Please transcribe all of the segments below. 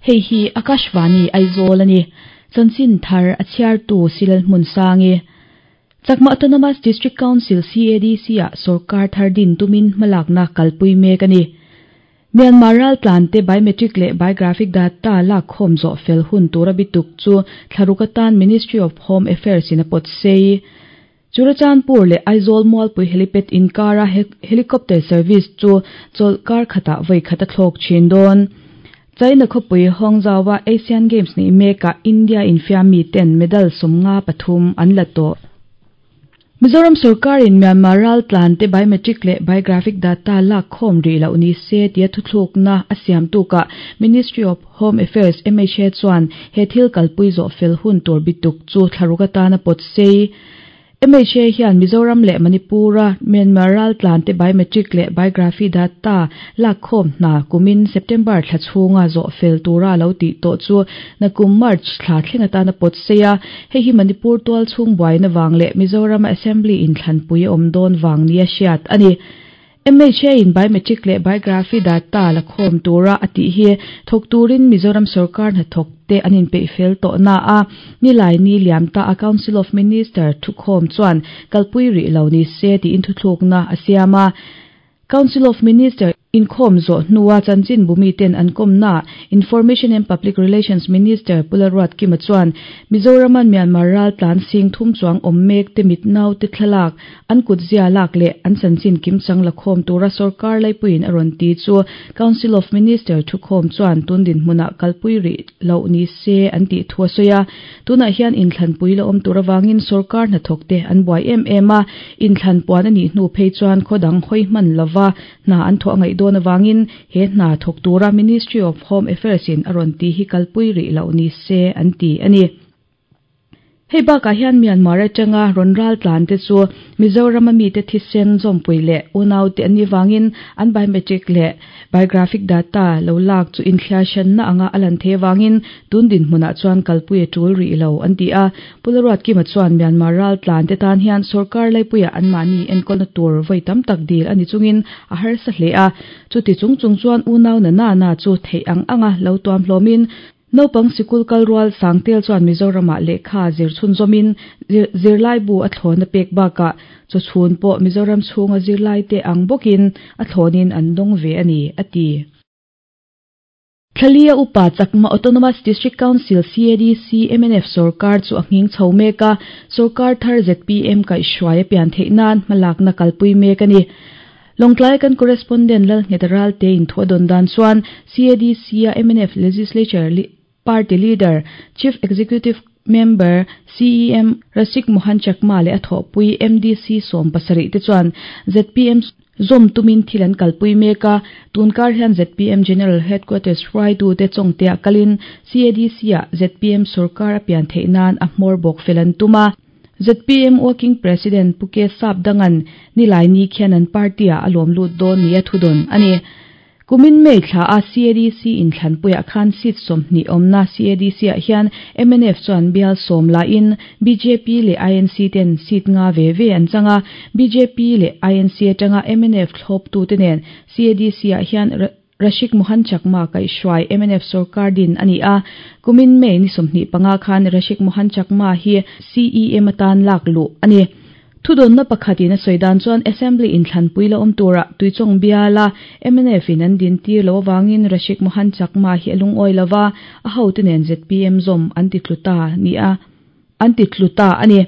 Hei hi Akashvani Aizawl a ni. Chanchin thar a chhiartu Silal Hmunsangi. Chakma Autonomous District Council, CADC, ah sorkar thar din tumin hmalakna kalpui mek a ni. Myanmar raltlante biometric leh biographic data lakkhawm zawh fel hun tura bituk chu thlaruk atan Ministry of Home Affairs in a pawt sei. Churachandpur leh Aizawl Mualpui Helipad inkara helicopter service chu chawlhkar khatah vawi khat a thlawk thin dawn. China khawpui Hangzhou-a Asian Games neih mekah India infiammi ten medal 53 an la tawh. Mizoram sorkarin Myanmar raltlante biometric leh biographic data lak khawm rih loh ni se tia thuthlukna a siam tukah Ministry of Home Affairs, MHA, chuan he thil kalpui zawh fel hun tur bituk chu thlaruk atana pawt sei. MHA hian Mizoram leh Manipur-a Myanmar raltlante biometric leh biography data lakkhawm hna kumin September thla chhunga zawh fel tura lo tih tawh chu nakum March thla thleng atana pawt sei a, hei hi Manipur tual chhung buaina vang leh Mizorama Assembly inthlanpui a awm dawn vang nia hriat a ni. MHA-in biometric leh biography data la khawm tura a tih hi thawk turin Mizoram sorkar hnathawkte an inpeih fel tawh na a, nilai ni liam ta a Council of Minister thukhawm chuan kalpui rih lo ni se tiin thuthlukna a siam a. Council of Minister inkhawm zawh hnua chanchin bumiten an kawmnaah Information and Public Relations Minister Pu Lalruatkima chuan Mizoraman Myanmar raltlan sing thum chuang awm mek te mit naute thlalak, an kutzia lak leh an chanchin kimchang la khawm tura sorkar laipuiin a rawn ti chu Council of Minister thukhawm chuan tun dinhmunah kalpui rih loh ni se an tih thu a sawi a. Tunah hian inthlanpui la awm tur avangin sorkar hnathawkte an buai em em a, inthlan puan a nih hnu phei chuan khaw dang hawi hman lova hna an thawh a ngaih dawn avangin he hna thawk tura Ministry of Home Affairs in a rawn tih hi kalpui rih loh ni se an ti a ni. Hei bakah hian Myanmar atanga rawn ral tlan te chu Mizorama mite thisen zawmpui leh unaute an nih vangin an biometric leh biographic data lo lak chu inthliar hranna anga a lan thei avangin tun dinhmunah chuan kalpui a tul rih lo an ti a. Pu Laruatkima chuan Myanmar ral tlan te tan hian sorkar laipuiah anmahni enkawlna tur vawi tam tak dil a ni chungin a harsa hle a. Chuti chung chung chuan unau na na na chu theih ang anga lo tuam hlawmin Naupang sikul kal rual Sangtel chuan Mizoramah lehkha zir chhunzawmin zirlaibu a thlawn a pek bakah chawchhun pawh Mizoram chhunga zirlaite ang bawkin a thlawnin an dawng ve a ni, a ti. Thlalia upa Chakma Autonomous District Council, CADC, mnf sorkar chu a nghing chho mek a, sorkar thar zpm kaihhruai a pian theih nan hmalakna kalpui mek a ni. Lawngtlai kan correspondent Lalnghet Ralte in thu a dawn dan chuan CADC-a mnf Legislature Party Leader, Chief Executive Member, CEM, Rasik Mohan Chakma leh a thawhpui MDC 70 te chuan zpm zawm tumin thil an kalpui mek a, tunkar hian zpm General Headquarters hruaitute chawngteah kalin CADC-ah zpm sorkar a pian theih nan a hmawr bawk fel an tum a. Zpm Working President Pu Ke Sap Dangan Nilaini khian an party-ah a lawm lut dawn nia thudawn a ni. Kumin May thla a CADC inthlanpuiah khan seat 20 awmna CADC-ah hian mnf chuan bial 10 lain bjp leh INC ten seat nga ve ve an chang a, bjp leh INC atanga mnf thlawptute nen CADC-ah hian Rashik Mohan Chakma kaihhruai mnf sorkar din a ni a, kumin May ni 25 khan Rashik Mohan Chakma hi CEM atan lak luh a ni. Thudawnna pakhatin a sawi dan chuan Assembly inthlanpui la awm turah Tuichawng biala mnf in an din tir lo avangin Rashik Mohan Chakma hi a lungawi lova, a hote nen zpm zawm an ti tlu ta ni a an ti tlu ta a ni.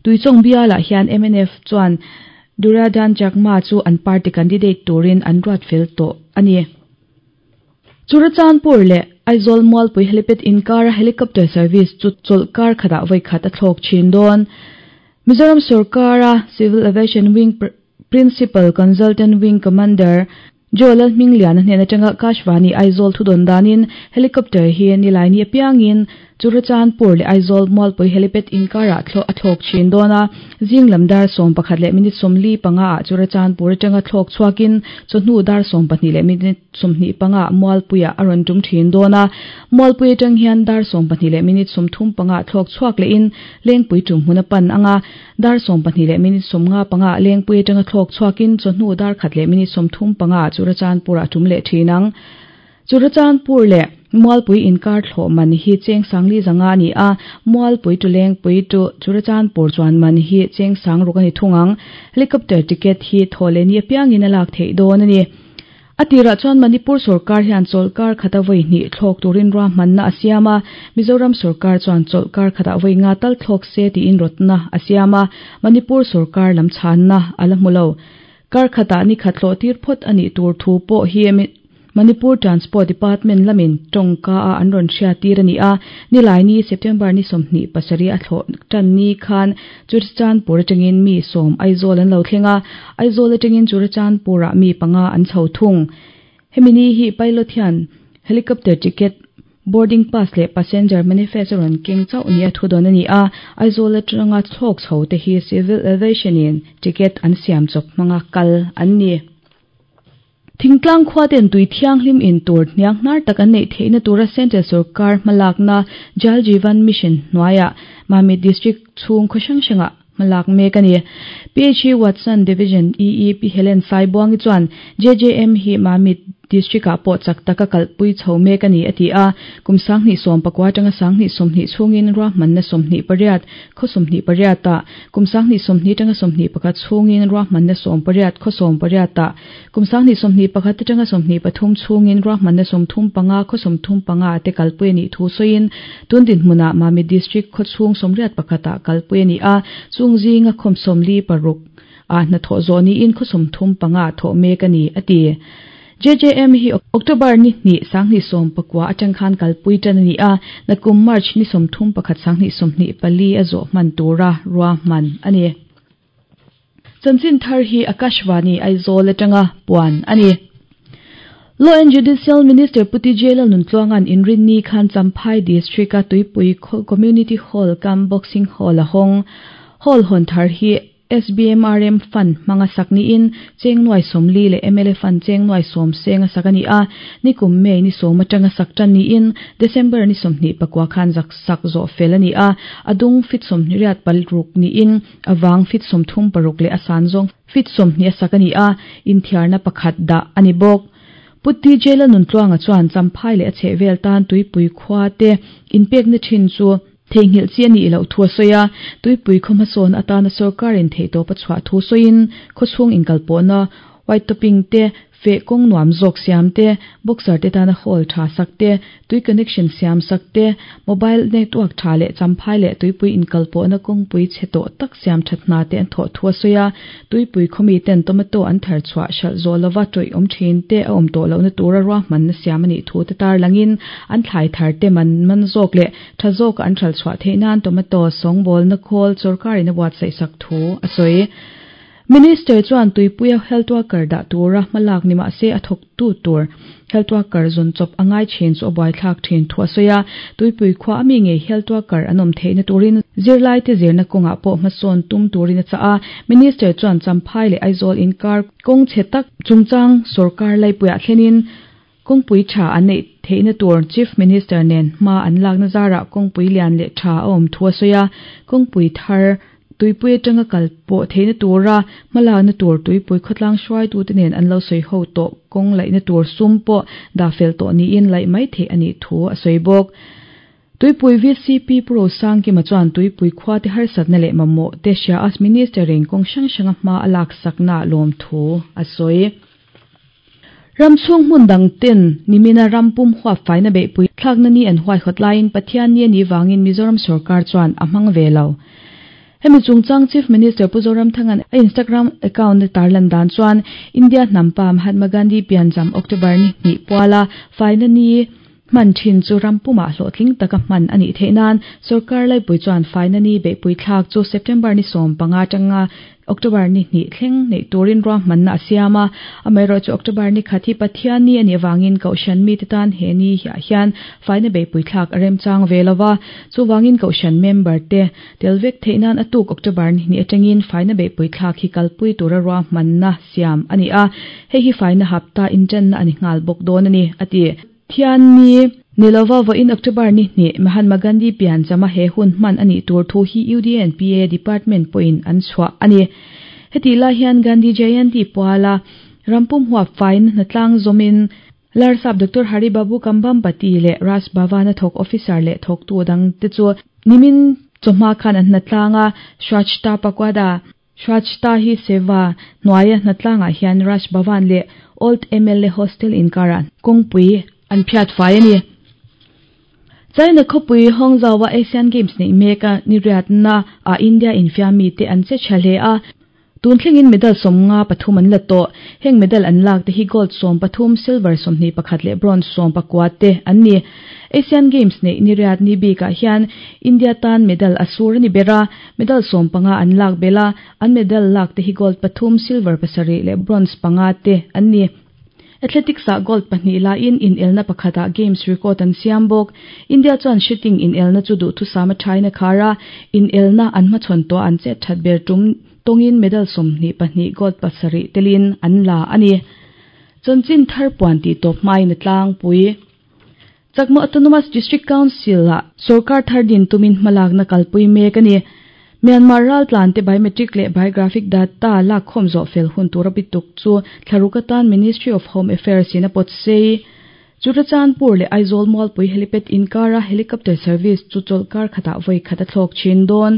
Tuichawng bialah hian mnf chuan Duryodhan Chakma chu an party candidate turin an ruat fel tawh a ni. Churachandpur leh Aizawl Mualpui Helipad inkara helicopter service chu chawlhkar khatah vawi khat a thlawk thin dawn. Mizoram sorkara Civil Aviation Wing Principal Consultant Wing Commander Joe Lalhmingliana hnen atanga Kashvani Aizawl thudawn danin helicopter hi Nilaini apiangin Churachandpur leh Aizawl Mualpui Helipad inkarah a thlawk thin dawn a, zing lam dar 11 leh minute 45 ah Churachandpur atanga thlawk chhuakin chawhnu dar 12 leh minute 25 ah Mualpuiah a rawn tum thin dawn a, Mualpui atang hian dar 12 leh minute 35 ah thlawk chhuak lehin Lengpui tum hmun a pan anga, dar 12 leh minute 55 ah Lengpui atanga thlawk chhuakin chawhnu dar 1 leh minute 35 ah Churachandpur ah tum leh thin ang. Churachandpur leh. Mualpui inkar thlawh man hi cheng sangli zanga a ni a, Mualpui to Lengpui to Churachandpur chuan man hi cheng sang ruk a ni thung ang. Helicopter ticket hi thaw leh ni apiangin a lak theih dawn a ni. A tirah chuan Manipur sorkar hian chawlhkar khata vawi hnih thlawk turin ruahmanna a siam a, Mizoram sorkar chuan chawlhkar khatah vawi nga tal thlawk se tiin rawtna a siam a, Manipur sorkar lam chhanna a la hmu lo. Kar khatah ni khat hlawh tir phawt a nih tur thu pawh hi Manipur Transport Department lamin tawngka a an rawn hriat tir a ni a, Nilaini September ni 27 a thlawh tan ni khan Churachandpur atangin mi sawm Aizawl an lo thleng a, Aizawl atangin Churachandpur-ah mi panga an chho thung. Hemi ni hi pilot hian helicopter ticket, boarding pass leh passenger manifest a rawn keng chauh nia thu dawn a ni a, Aizawl atanga thlawk chho te hi Civil Aviation-in ticket an siam chawp hmanga kal an ni. Thingtlang khuaten tui thianghlim in tur hniang hnar tak an neih theihna tura Central Sorkar hmalakna Jal Jeevan Mission hnuaiah Mamit District chhung khaw hrang hrangah hmalak mek a ni. PHE Watson Division EE Pi Helen Saibuangi chuan JJM hi Mamit District-ah pawh chak taka kalpui chho mek a ni a ti a. Kum 2019 atanga 2020 chhungin ruahmanna 28 khaw 28-ah, kum 2020 atanga 21 chhungin ruahmanna 18 khaw 18-ah, Kum 2021 atanga 23 chhungin ruahmanna 35 khaw 35 te kalpui a nih thu sawiin tun dinhmunah Mamit District khaw chhung 81 ah kalpui a ni a, chung zinga khawm 46 ah hnathawh zawh niin khaw 35 ah thawh mek a ni, a ti. JJM hi October ni hnih 2019 atang khan kalpui tan a ni a, nakum March ni 31 2024 a zawh hman tura ruahman a ni. Chanchin thar hi Akashvani Aizawl atanga puan a ni. Law and Judicial Minister Pu TJ Lalnuntluanga'n Inrinni khan Champhai District-a Tuipui Community Hall cum Boxing Hall a hawng. Hall hawn thar hi SBMRM Fund hmanga sak niin cheng nuai 40 leh mla Fund cheng nuai 10 seng a sak a ni a. Nikum May ni 10 atanga sak tan niin December ni 29 khan zak sak zawh fel a ni a. A dung fit 26 niin A vang fit 36 leh a san zawng fit 20 a sak a ni a, inthiarna pakhat dah a ni bawk. Pu TJ Lalnuntluanga chuan Champhai leh a chhehvel tan Tuipui khua te inpekna thin chu theihnghilh chi a nih loh thu a sawi a, Tuipui khaw hmasawn atana sorkarin theihtawp a chhuah thu sawiin khawchhung inkalpawhna white topping te Feh kawng nuam zawk siam te, boxer te tana hall tha sak te, tui connection siam sak te, mobile network tha leh champhai leh tuipui inkalpawhna kawngpui chhe tawh tak siam that hna te an thawh thu a sawi a. Tuipui khawmi ten tomato an thar chhuah hralh zawh lova tawih awm thin te a awm tawh lohna tura ruahmanna siam a nih thu te tarlangin an thlai thar te man man zawk leh tha zawka an hralh chhuah theih nan tomato sawngbawlna khawl sorkarin a buatsaih sak thu a sawi. Minister chuan tuipuia health worker dah tura hmalak ni mahse a thawktu tur health worker zawn chawp a ngai thin chu a buaithlak thin thu a sawi a. Tuipui khua a mi ngei health worker an awm theihna turin zirlaite zirna kawngah pawh hmasawn tum turin a chah a. Minister chuan Champhai leh Aizawl inkar kawng chhe tak chungchang sawrkar laipuiah thlenin kawngpui tha an neih theihna tur Chief Minister nen hma an lakna zarah kawngpui lian leh tha a awm thu a sawi a. Kawngpui thar Tuipui atanga kal pawh theihna tura hmalakna tur tuipui khawtlang hruaitute nen an lo sawi ho tawh kawng laihna tur sum pawh dah fel tawh niin laih mai theih a nih thu a sawi bawk. Tuipui VCP Pu Rosangkima chuan tuipui khuate harsatna leh mamawh te hria a Minister in kawng hrang hranga hma a laksakna lawmthu a sawi. Ram chhung hmun dang ten nimina ram pum huap faina beihpui thlakna ni an huaihawt laiin Pathian ni a nih vangin Mizoram sorkar chuan a hmang ve lo. Hemi chungchang Chief Minister Pu Zoramthanga'n a Instagram account a tarlan dan chuan India hnampa Mahatma Gandhi piancham October ni hnih puala faina ni hman thin chu ram pumah hlawhtling taka hman a nih theih nan sorkar laipui chuan faina ni beihpui thlak chu September ni 15 atanga October ni hnih thleng neih turin ruahmanna a siam a. Amaherawhchu October ni khat hi Pathian ni a nih avangin Kohhran mite tan he ni hiah hian faina beihpui thlak a remchang ve lo va. Chuvangin Kohhran member te tel vek theih nan a tuk October ni hnih atangin faina beihpui thlak hi kalpui tura ruahmanna siam a ni a. Hei hi faina hapta inṭanna a ni nghal bawk dawn a ni, a ti. Thianni ni lova vawiin October ni hnih Mahatma Gandhi pianchama he hun hman a nih tur thu hi UDNPA Department pawhin an chhuah a ni. Hetih lai hian Gandhi Jayanti puala rampum huap faina hnatlang zawmin. Larsap Doctor Hari Babu Kambhampati leh Raj Bhavan-a thawk officer leh thawktu dangte chu nimin chawhma khan an hnatlang a, Swachhta Pakwada, Swachhta Hi Seva, hnuaia hnatlangah hian Raj Bhavan leh Old mla Hostel inkarah kawngpui an phiat fai a ni. China khawpui Hangzhou-a Asian Games neih mek a niriatna ah India infiammi te an che tha hle a, tun thlengin medal 53 an la tawh. Heng medal an lak te hi gold 13, silver 21 leh bronze 19 te an ni. Asian Games neih niriat ni bikah hian India tan medal a sur a ni ber a, medal 15 an lak belh a, an medal lak te hi gold pathum, silver pasarih leh bronze panga te an ni. Athletics ah gold pahnih laiin inelna pakhatah Games record an siam bawk. India chuan shooting inelna chu duhthusam a thain a khar a, inelna an hmachhawn tawh an chet that ber tum tawngin medal 22, gold pasarih telin an la a ni. Chanchin thar puan tih tawp hmain a tlangpui. Chakma Autonomous District Council ah sorkar thar din tumin hmalakna kalpui mek a ni. Myanmar raltlan te biometric leh biographic data lakkhawm zawh fel hun tura bituk chu thlaruk atan Ministry of Home Affairs in a pawt sei. Churachandpur leh Aizawl Mualpui Helipad inkara helicopter service chu chawlhkar khatah vawi khat a thlawk thin dawn.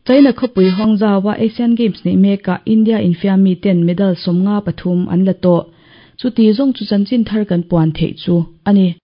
China khawpui Hangzhou-a Asian Games neih mekah India infiammi ten medal 53 an la tawh. Chuti zawng chu chanchin thar kan puan theih chu a ni.